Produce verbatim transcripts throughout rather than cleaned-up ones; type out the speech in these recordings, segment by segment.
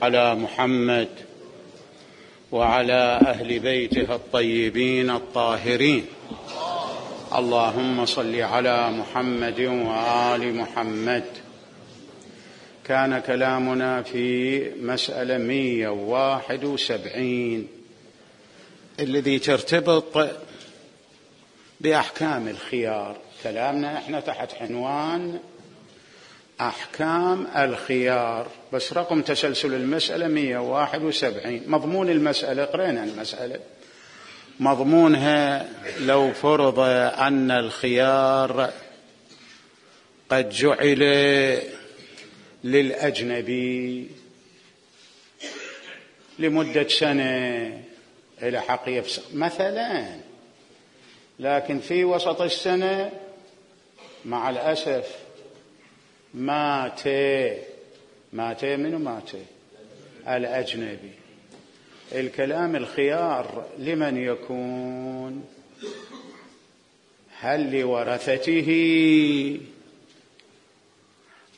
على محمد وعلى أهل بيته الطيبين الطاهرين. اللهم صل على محمد وآل محمد. كان كلامنا في مسألة مئة وواحد وسبعين الذي ترتبط بأحكام الخيار. كلامنا احنا تحت عنوان أحكام الخيار، بس رقم تسلسل المسألة مئة وواحد وسبعين. مضمون المسألة قرأنا المسألة، مضمونها لو فرض أن الخيار قد جعل للأجنبي لمدة سنة إلى حق يفسخ مثلا، لكن في وسط السنة مع الأسف مات مات منو مات الأجنبي. الكلام الخيار لمن يكون؟ هل لورثته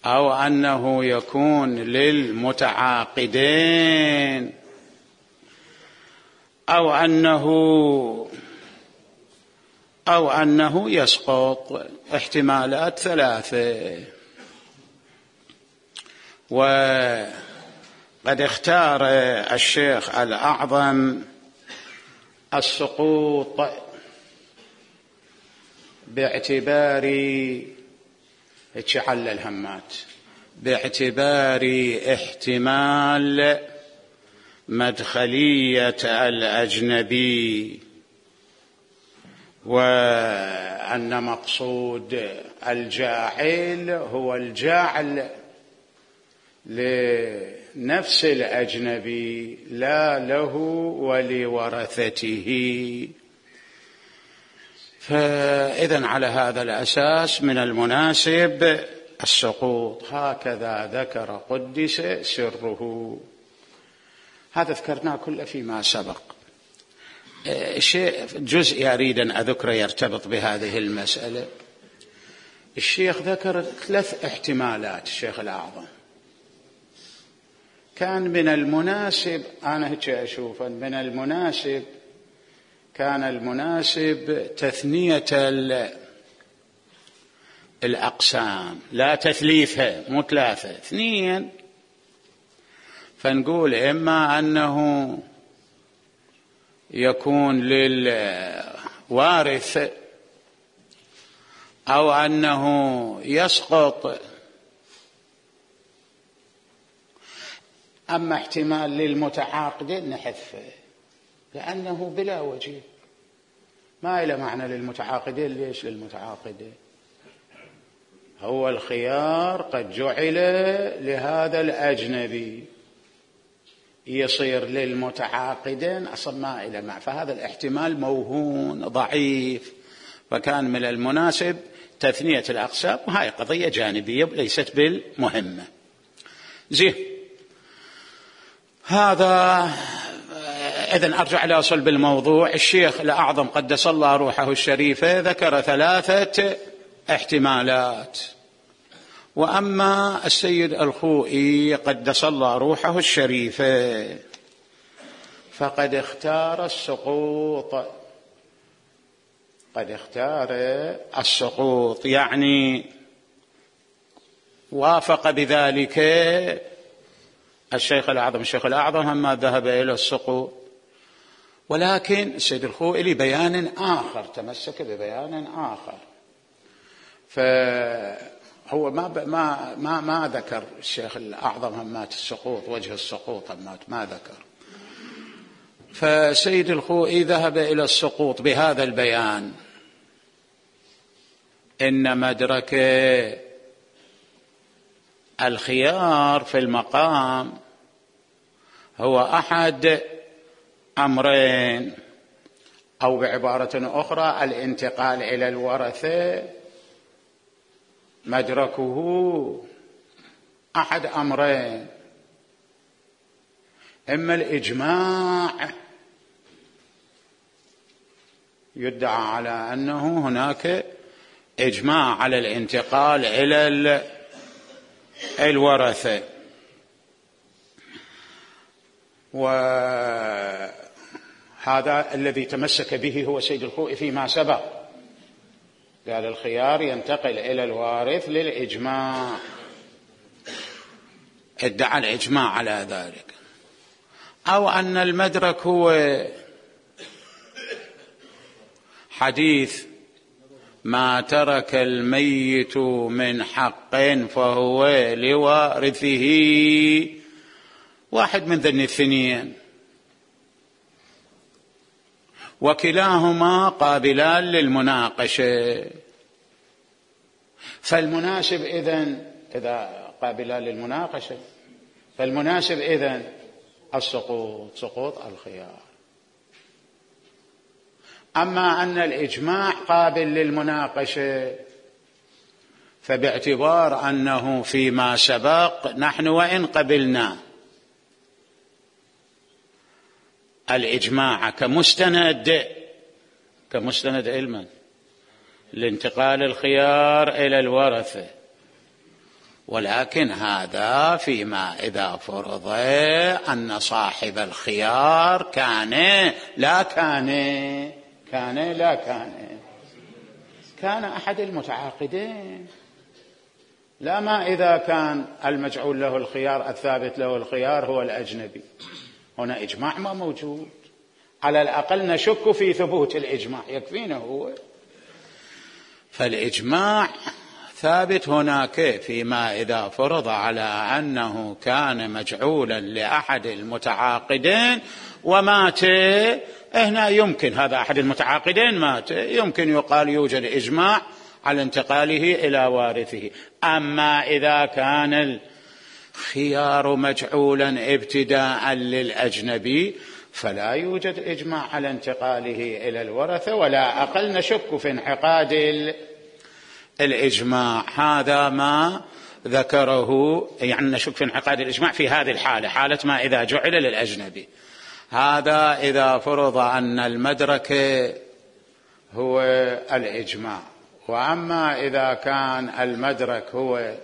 أو أنه يكون للمتعاقدين أو أنه أو أنه يسقط؟ احتمالات ثلاثة. وقد اختار الشيخ الأعظم السقوط باعتبار اتشعل الهمات باعتبار احتمال مدخلية الأجنبي، وأن مقصود الجاعل هو الجاعل لنفس الأجنبي لا له ولورثته. فإذن على هذا الأساس من المناسب السقوط. هكذا ذكر قدس سره. هذا ذكرناه كله فيما سبق. شيء جزء أريد أن أذكره يرتبط بهذه المسألة. الشيخ ذكر ثلاث احتمالات. الشيخ الأعظم كان من المناسب، أنا هيك أشوف من المناسب كان المناسب تثنية الأقسام، لا تثليثها، مو ثلاثة اثنين. فنقول إما أنه يكون للوارث أو أنه يسقط. أما احتمال للمتعاقدين نحذفه لأنه بلا وجه، ما إلى معنى للمتعاقدين. ليش للمتعاقدين؟ هو الخيار قد جعل لهذا الأجنبي، يصير للمتعاقدين أصلا ما إلى معنى، فهذا الاحتمال موهون ضعيف. فكان من المناسب تثنية الأقسام، وهي قضية جانبية ليست بالمهمة. زين، هذا إذن أرجع إلى صلب الموضوع. الشيخ الأعظم قدس الله روحه الشريفة ذكر ثلاثة احتمالات، وأما السيد الخوئي قدس الله روحه الشريفة فقد اختار السقوط. قد اختار السقوط يعني وافق بذلك الشيخ الأعظم. الشيخ الأعظم هم ذهب إلى السقوط، ولكن السيد الخوئي لبيان آخر تمسك ببيان آخر. فهو ما ما ما ما ذكر الشيخ الأعظم همات السقوط، وجه السقوط همات ما ذكر. فسيد الخوئي ذهب إلى السقوط بهذا البيان: إن مدرك الخيار في المقام هو أحد أمرين، أو بعبارة أخرى الانتقال إلى الورثة مدركه أحد أمرين: إما الإجماع، يدعى على أنه هناك إجماع على الانتقال إلى الورثة، وهذا الذي تمسك به هو سيد الخوئي فيما سبق، قال الخيار ينتقل إلى الوارث للإجماع، ادعى الإجماع على ذلك. أو أن المدرك هو حديث ما ترك الميت من حق فهو لوارثه، واحد من ذن الاثنين، وكلاهما قابلان للمناقشة. فالمناسب إذن إذا قابلان للمناقشة فالمناسب إذن السقوط، سقوط الخيار. أما أن الإجماع قابل للمناقشة فباعتبار أنه فيما سبق نحن وإن قبلنا الإجماع كمستند كمستند علما لانتقال الخيار إلى الورثة، ولكن هذا فيما إذا فرض أن صاحب الخيار كان لا كان كان لا كان كان أحد المتعاقدين، لا ما إذا كان المجعول له الخيار الثابت له الخيار هو الأجنبي. هنا إجماع ما موجود، على الأقل نشك في ثبوت الإجماع، يكفينا هو. فالإجماع ثابت هناك فيما إذا فرض على أنه كان مجعولا لأحد المتعاقدين ومات. هنا يمكن هذا أحد المتعاقدين مات، يمكن يقال يوجد إجماع على انتقاله إلى وارثه. أما إذا كان الخيار مجعولا ابتداء للأجنبي فلا يوجد إجماع على انتقاله إلى الورثة، ولا أقل نشك في انعقاد الإجماع. هذا ما ذكره، يعني نشك في انعقاد الإجماع في هذه الحالة، حالة ما إذا جعل للأجنبي. هذا إذا فرض أن المدرك هو الإجماع. وأما إذا كان المدرك هو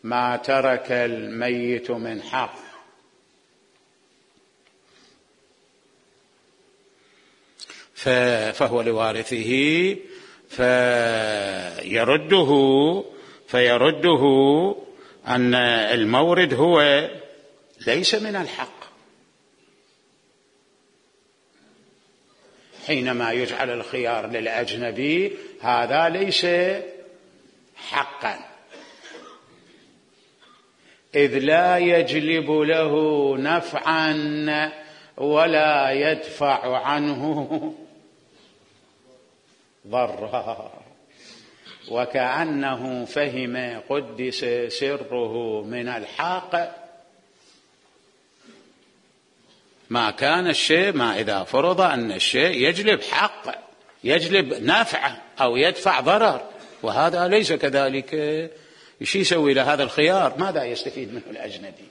ما ترك الميت من حق فهو لوارثه، فيرده فيرده أن المورد هو ليس من الحق حينما يجعل الخيار للأجنبي، هذا ليس حقا، إذ لا يجلب له نفعا ولا يدفع عنه ضرا، وكأنه فهم قدس سره من الحق ما كان الشيء، ما إذا فرض أن الشيء يجلب حق، يجلب نفع أو يدفع ضرر، وهذا ليس كذلك. ايش يسوي لهذا الخيار؟ ماذا يستفيد منه الأجنبي؟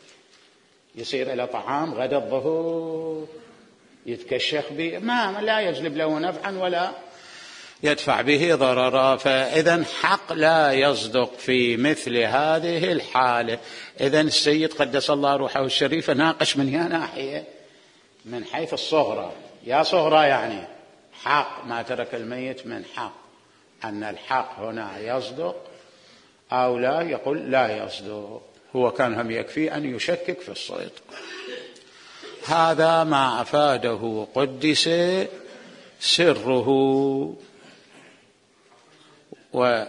يصير إلى طعام غدا الظهور يتكشخ به، ما لا يجلب له نفعا ولا يدفع به ضررا. فإذا حق لا يصدق في مثل هذه الحالة. إذن السيد قدس الله روحه الشريفة ناقش من يا ناحية، من حيث الصغرى، يا صغرى يعني حق ما ترك الميت من حق، أن الحق هنا يصدق أو لا، يقول لا يصدق. هو كان هم يكفي أن يشكك في الصدق. هذا ما أفاده قدس سره. و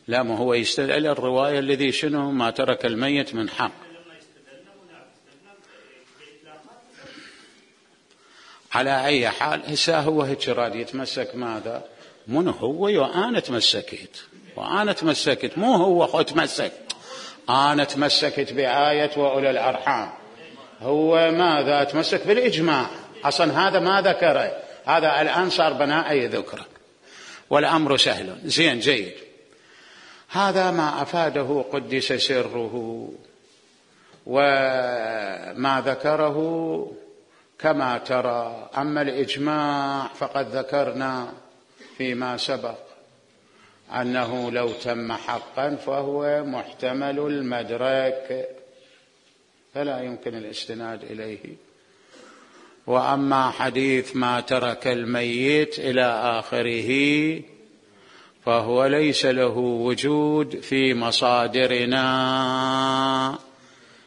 لا، ما هو يستدل الرواية الذي شنو ما ترك الميت من حق. على أي حال هسه هو هيك راد يتمسك ماذا؟ من هو وأنا تمسكت وأنا تمسكت، مو هو خو تمسك. أنا تمسكت بآية وأولي الأرحام، هو ماذا تمسك بالإجماع. أصلا هذا ما ذكره، هذا الآن صار بناء ذكره والأمر سهل. زين جيد. هذا ما أفاده قدس سره. وما ذكره كما ترى. أما الإجماع فقد ذكرنا فيما سبق أنه لو تم حقا فهو محتمل المدرك فلا يمكن الاستناد إليه. وأما حديث ما ترك الميت إلى آخره فهو ليس له وجود في مصادرنا،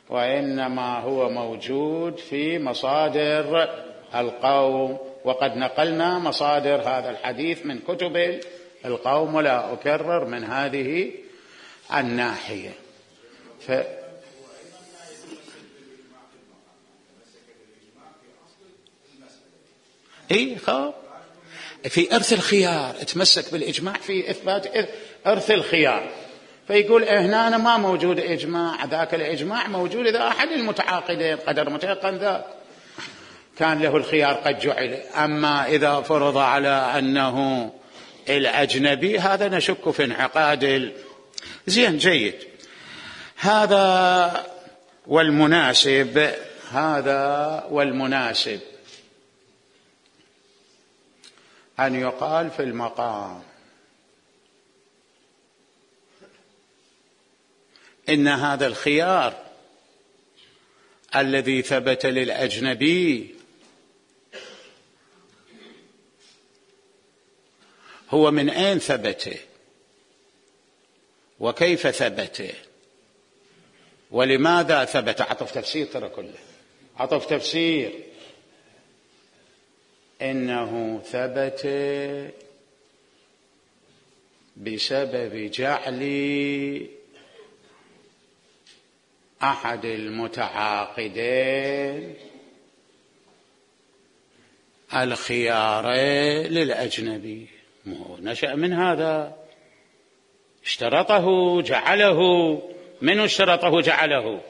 وإنما هو موجود في مصادر القوم، وقد نقلنا مصادر هذا الحديث من كتب القوم ولا أكرر من هذه الناحية. ف... إيه خاب في إرث الخيار، اتمسك بالإجماع في إثبات إرث الخيار، فيقول هنا أنا ما موجود إجماع، ذاك الإجماع موجود إذا أحد المتعاقدين قدر متيقن ذاك كان له الخيار قد جعل. أما إذا فرض على أنه الأجنبي هذا نشك في انعقاد. زين جيد. هذا والمناسب هذا والمناسب أن يقال في المقام إن هذا الخيار الذي ثبت للأجنبي هو من أين ثبت وكيف ثبت ولماذا ثبت. عطف تفسير ترى كله عطف تفسير. إنه ثبت بسبب جعل أحد المتعاقدين الخيار للأجنبي. نشأ من هذا، اشترطه جعله. من اشترطه جعله؟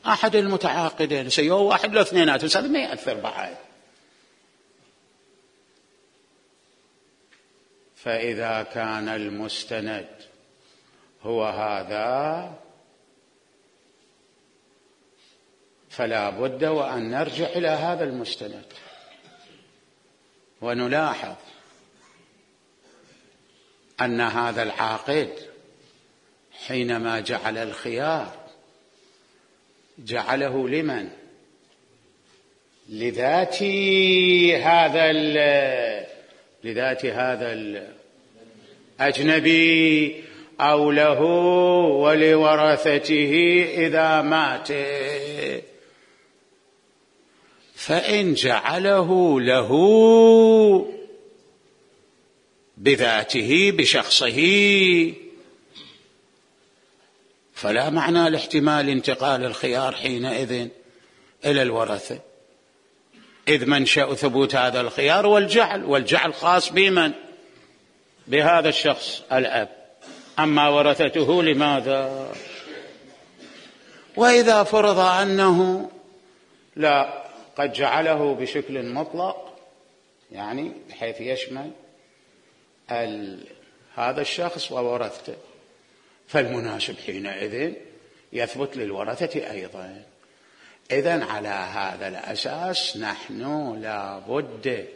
أحد المتعاقدين. سيوه واحد لو اثنينات بس هذا ما يأثر بعد. فإذا كان المستند هو هذا فلا بد وأن نرجع إلى هذا المستند ونلاحظ أن هذا العاقد حينما جعل الخيار جعله لمن؟ لذات هذا لذات هذا الأجنبي أو له ولورثته إذا مات. فإن جعله له بذاته بشخصه فلا معنى لاحتمال انتقال الخيار حينئذ إلى الورثة، إذ منشأ ثبوت هذا الخيار والجعل، والجعل خاص بمن؟ بهذا الشخص الأب. أما ورثته لماذا؟ وإذا فرض أنه لا قد جعله بشكل مطلق، يعني بحيث يشمل هذا الشخص وورثته، فالمناسب حينئذ يثبت للورثة أيضا. إذن على هذا الأساس نحن لا بد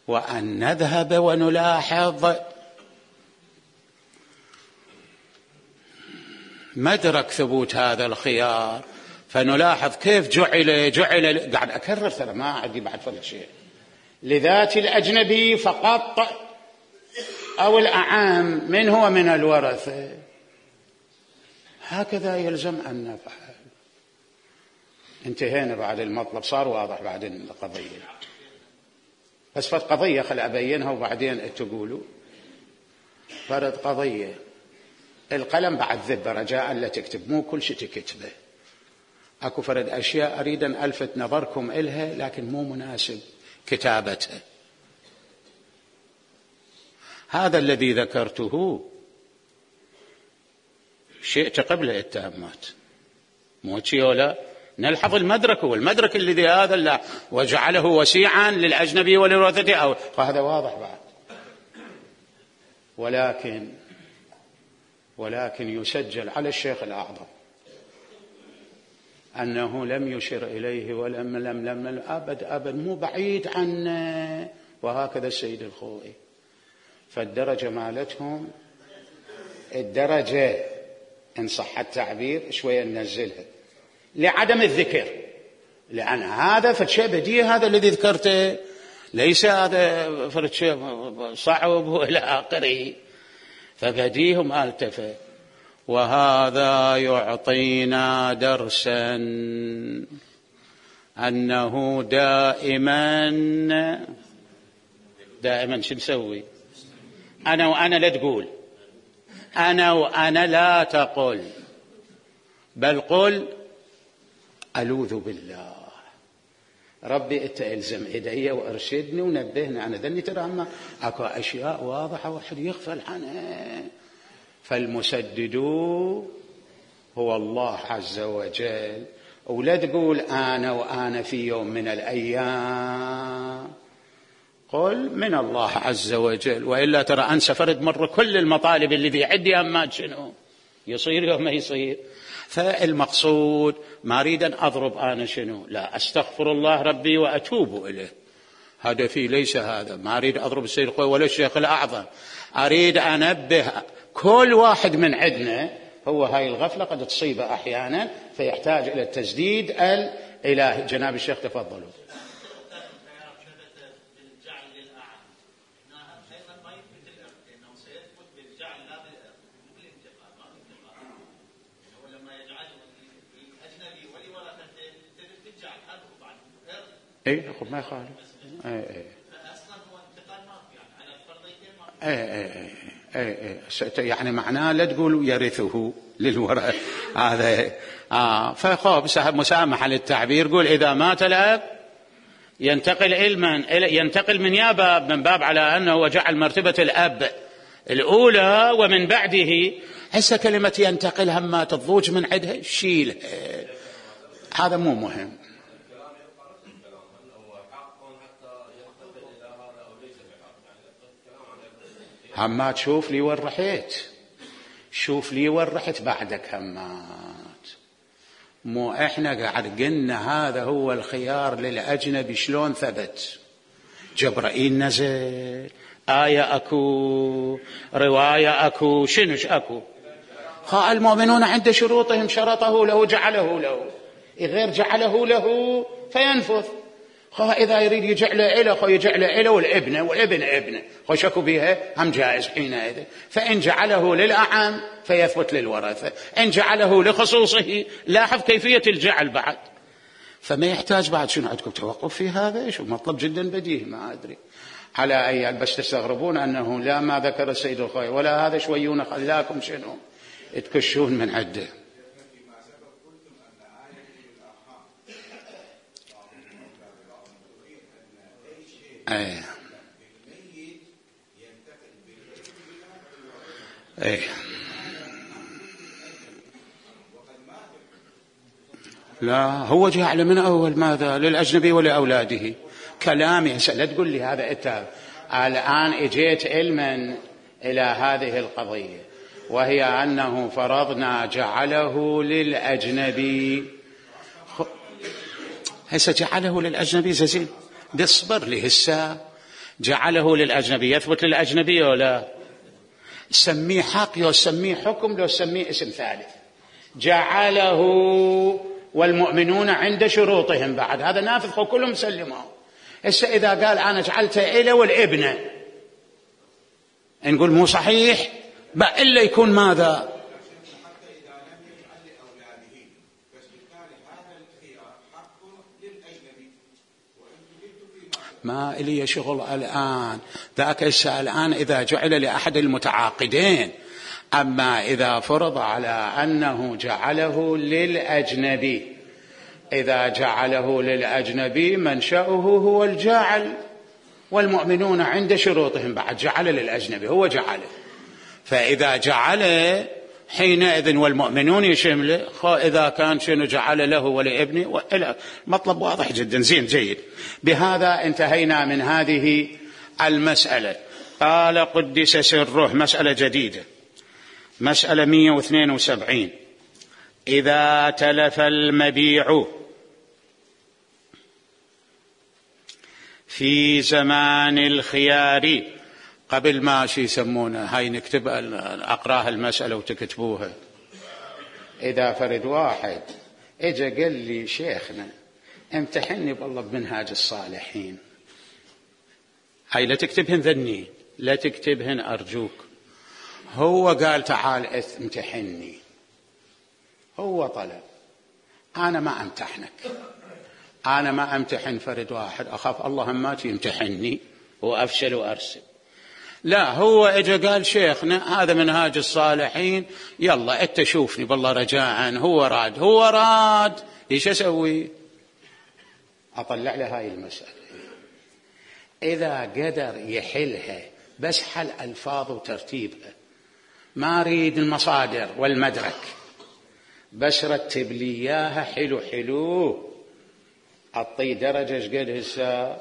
وأن نذهب ونلاحظ مدرك ثبوت هذا الخيار، فنلاحظ كيف جعل جعل قاعد أكرر ترى ما عندي بعد فرق شيء لذات الأجنبي فقط أو الأعام من هو من الورثة. هكذا يلزم أن نفعل. انتهينا بعد المطلب، صار واضح بعدين القضية، بس فرد قضية خل أبينها وبعدين تقولوا. فرد قضية القلم بعد ذبة رجاء لا تكتب، مو كل شيء تكتبه. أكو فرد أشياء أريد أن ألفت نظركم إلها لكن مو مناسب كتابتها. هذا الذي ذكرته شئت قبل التهمات، مو شيء ولا نلحظ المدرك، والمدرك الذي هذا لا وجعله وسيعا للأجنبي ولورثته، أو هذا واضح بعد. ولكن ولكن يسجل على الشيخ الأعظم أنه لم يشر إليه ولم لم لم أبد أبد مو بعيد عنه. وهكذا السيد الخوئي. فالدرجة مالتهم الدرجة إن صح التعبير شوية ننزلها لعدم الذكر، لأن هذا فشيء بديهي، هذا الذي ذكرته ليس هذا فرد شيء صعب وإلى آخره، فبديه ما التفت. وهذا يعطينا درسا أنه دائما دائما شو نسوي؟ أنا وأنا لا تقول، أنا وأنا لا تقول، بل قل ألوذ بالله ربي أنت إلزم إيدي وأرشدني ونبهني. أنا ذني ترى أما أكو أشياء واضحة واحد يغفل عنها. فالمسدد هو الله عز وجل. ولا تقول أنا وأنا في يوم من الأيام، قل من الله عز وجل. وإلا ترى أنسى فرد مرة كل المطالب الذي عندي أما شنو يصير يوم ما يصير. فالمقصود ما أريد أن أضرب أنا شنو، لا أستغفر الله ربي وأتوب إليه، هدفي ليس هذا. ما أريد أضرب السيد الخوئي ولا الشيخ الأعظم، أريد أنبه كل واحد من عندنا هو هاي الغفلة قد تصيبه أحيانا فيحتاج إلى التسديد الإلهي. جناب الشيخ تفضلوا. اي خب ما يخالف. اي اي اصلا هو انتقال ما يعني على الفرضيتين ما اي اي يعني معناه لا تقول يرثه للورث هذا اه فخوف سحب مسامحه للتعبير. قول اذا مات الاب ينتقل علما ينتقل من يا باب من باب على انه وجعل مرتبه الاب الاولى ومن بعده. هسه كلمه ينتقل هم ما تضوج من عندها شيل، هذا مو مهم. همات شوف لي وين رحت، شوف لي وين رحت بعدك همات. مو احنا قاعد قلنا هذا هو الخيار للأجنبي. شلون ثبت؟ جبرائيل نزل، آية أكو، رواية أكو، شنوش أكو؟ خا المؤمنون عند شروطهم شرطه له جعله له، غير جعله له فينفذ. خا إذا يريد يجعل إله خو يجعل إله والابن والابن ابنه خو شكو بها هم جائز حينئذ. فإن جعله للأعم فيثبت للورثة، إن جعله لخصوصه لاحظ كيفية الجعل بعد. فما يحتاج بعد شنو عندكم توقف في هذا؟ شو مطلب جدا بديهي. ما أدري على أي بس تستغربون أنه لا ما ذكر السيد الخوئي ولا هذا شويون خلاكم شنو تكشون من عده. ايه ايه لا هو جعل من اول ماذا للاجنبي ولاولاده. كلامي لا تقول لي هذا انت الان اجيت علما الى هذه القضيه وهي انه فرضنا جعله للاجنبي. هسه جعله للاجنبي زين اصبر لي. هسه جعله للأجنبي يثبت للأجنبي ولا سميه حق لو سميه حكم لو سميه اسم ثالث. جعله والمؤمنون عند شروطهم بعد هذا نافذ كلهم سلموا. هسه إذا قال أنا جعلته إلى والابن نقول مو صحيح بقى إلا يكون ماذا ما إلي شغل الآن ذاك الآن إذا جعل لأحد المتعاقدين. أما إذا فرض على أنه جعله للأجنبي، إذا جعله للأجنبي منشأه هو الجاعل والمؤمنون عند شروطهم بعد جعل للأجنبي هو جعله. فإذا جعل حينئذ والمؤمنون يشمله. إذا كان شنو جعل له ولابنه وإلى مطلب واضح جدا. زين جيد. بهذا انتهينا من هذه المسألة. قال قدس سره مسألة جديدة مسألة مئة واثنين وسبعين إذا تلف المبيع في زمان الخيار، قبل ما شي يسمونها هاي نكتب أقراها المسألة وتكتبوها. إذا فرد واحد إجا قال لي شيخنا امتحني بالله بمنهاج الصالحين، هاي لا تكتبهن ذني، لا تكتبهن أرجوك. هو قال تعال امتحني، هو طلب، أنا ما أمتحنك، أنا ما أمتحن فرد واحد، أخاف الله ما يمتحني وأفشل وأرسل. لا، هو إجا قال شيخنا هذا منهاج الصالحين، يلا أنت شوفني بالله رجاء. هو راد هو راد إيش أسوي؟ أطلع له هاي المسألة. إذا قدر يحلها بس حل ألفاظ وترتيبها، ما أريد المصادر والمدرك، بس رتب لي إياها حلو حلو، أعطي درجة قد هسه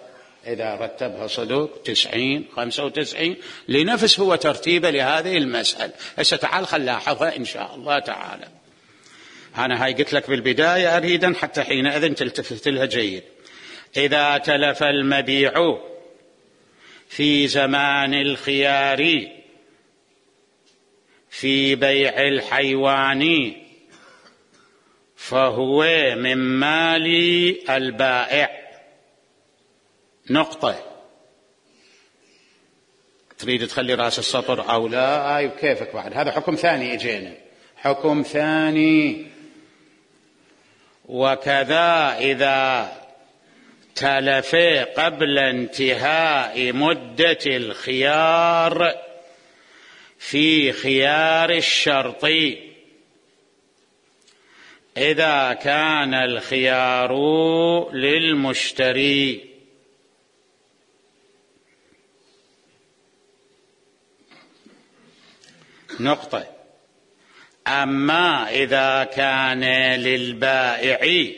إذا رتبها صدق تسعين خمسة وتسعين لنفس هو ترتيبه لهذه المسألة. هسه تعال خل لاحظها إن شاء الله تعالى. أنا هاي قلت لك بالبداية أريدا حتى حينئذ تلتفت لها جيد. إذا تلف المبيع في زمان الخيار في بيع الحيوان فهو من مال البائع. نقطة. تريد تخلي رأس السطر أو لا؟ أي كيفك بعد. هذا حكم ثاني إجينا، حكم ثاني. وكذا إذا تلف قبل انتهاء مدة الخيار في خيار الشرط إذا كان الخيار للمشتري. نقطة. أما إذا كان للبائع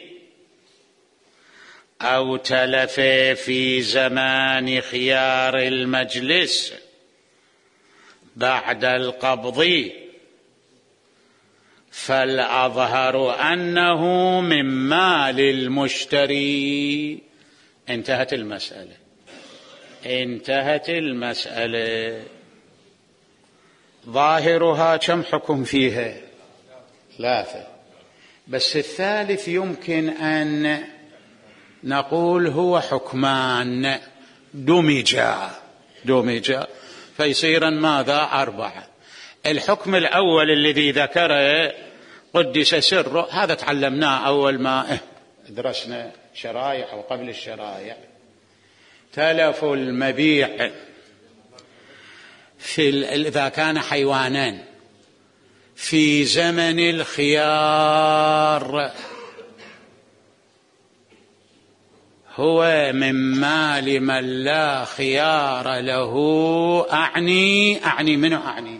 أو تلف في زمان خيار المجلس بعد القبض فالأظهر أنه من مال المشتري. انتهت المسألة، انتهت المسألة. ظاهرها كم حكم فيها؟ ثلاثة، بس الثالث يمكن أن نقول هو حكمان دمجا دمجا فيصيرا ماذا؟ أربعة. الحكم الأول الذي ذكره قدس سره، هذا تعلمناه أول ما درسنا شرائع وقبل الشرائع. تلف المبيع في إذا كان حيوانان في زمن الخيار هو من مال من لا خيار له. أعني أعني منه أعني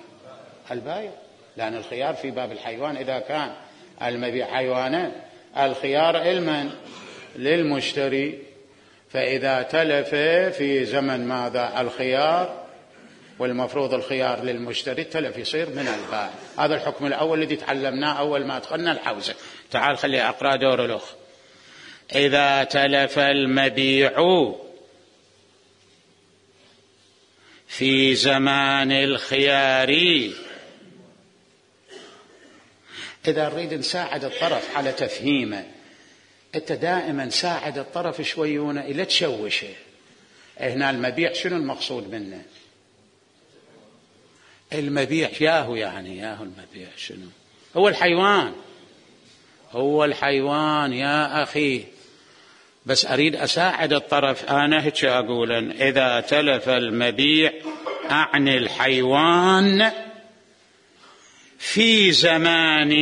البائع، لأن الخيار في باب الحيوان إذا كان المبيع حيوانا، الخيار المن للمشتري. فإذا تلف في زمن ماذا؟ الخيار، والمفروض الخيار للمشتري، تلف يصير من البائع. هذا الحكم الأول الذي تعلمناه أول ما أدخلنا الحوزة. تعال خلي أقرأ دور الأخ. إذا تلف المبيع في زمان الخيار، إذا نريد نساعد الطرف على تفهيمه، أنت دائما ساعد الطرف شويونه إلى تشوشه. هنا المبيع شنو المقصود منه؟ المبيع ياهو، يعني ياهو المبيع شنو؟ هو الحيوان، هو الحيوان يا أخي. بس أريد أساعد الطرف. أنا هيك أقول إذا تلف المبيع أعني الحيوان في زمان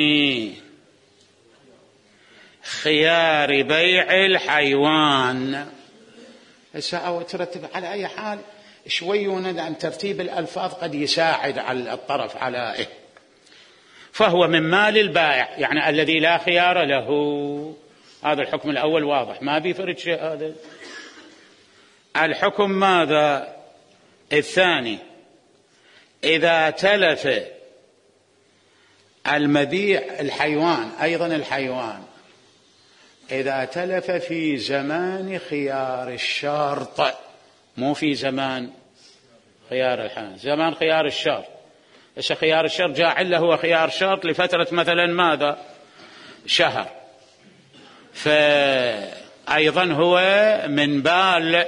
خيار بيع الحيوان. هسه أو ترتب على أي حال شوي وند عن ترتيب الألفاظ قد يساعد على الطرف على إيه. فهو من مال البائع، يعني الذي لا خيار له. هذا الحكم الأول واضح، ما بيفرق شيء هذا. الحكم ماذا؟ الثاني. إذا تلف المبيع الحيوان أيضا الحيوان إذا تلف في زمان خيار الشرط، مو في زمان خيار الحيوان، زمان خيار الشرط. إيش خيار الشرط؟ جاعل له هو خيار شرط لفترة مثلا ماذا؟ شهر، فأيضا هو من بال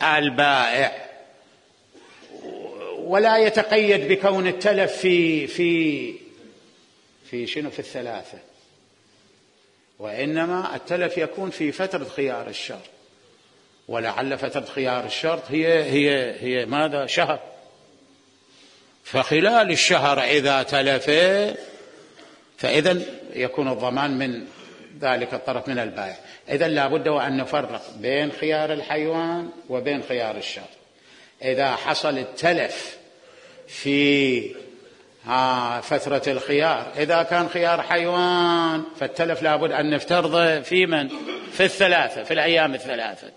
البائع، ولا يتقيد بكون التلف في في في شنو في الثلاثة، وإنما التلف يكون في فترة خيار الشرط، ولعل فترة خيار الشرط هي هي هي ماذا؟ شهر. فخلال الشهر إذا تلف فإذا يكون الضمان من ذلك الطرف من البائع. إذا لا بد وأن نفرق بين خيار الحيوان وبين خيار الشرط. إذا حصل التلف في فترة الخيار، إذا كان خيار حيوان فالتلف لا بد أن نفترضه في من؟ في الثلاثة، في الأيام الثلاثة.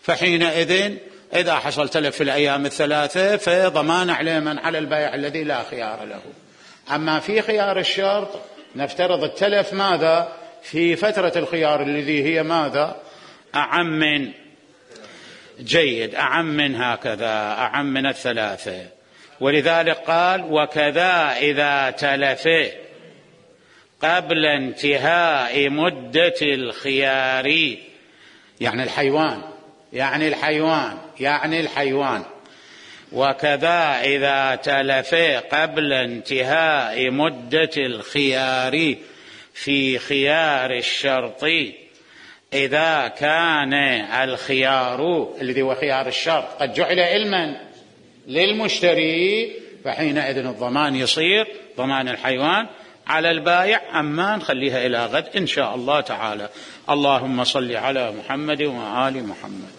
فحينئذ إذا حصل تلف في الأيام الثلاثة فضمان على من؟ على البائع الذي لا خيار له. أما في خيار الشرط نفترض التلف ماذا؟ في فترة الخيار الذي هي ماذا؟ أعم من جيد، أعم من هكذا، أعم من الثلاثة. ولذلك قال وكذا إذا تلف قبل انتهاء مدة الخيار، يعني الحيوان يعني الحيوان يعني الحيوان وكذا إذا تلف قبل انتهاء مدة الخيار في خيار الشرط، إذا كان الخيار الذي هو خيار الشرط قد جعل علما للمشتري، فحينئذ الضمان يصير ضمان الحيوان على البائع. أما نخليها إلى غد إن شاء الله تعالى. اللهم صل على محمد وآل محمد.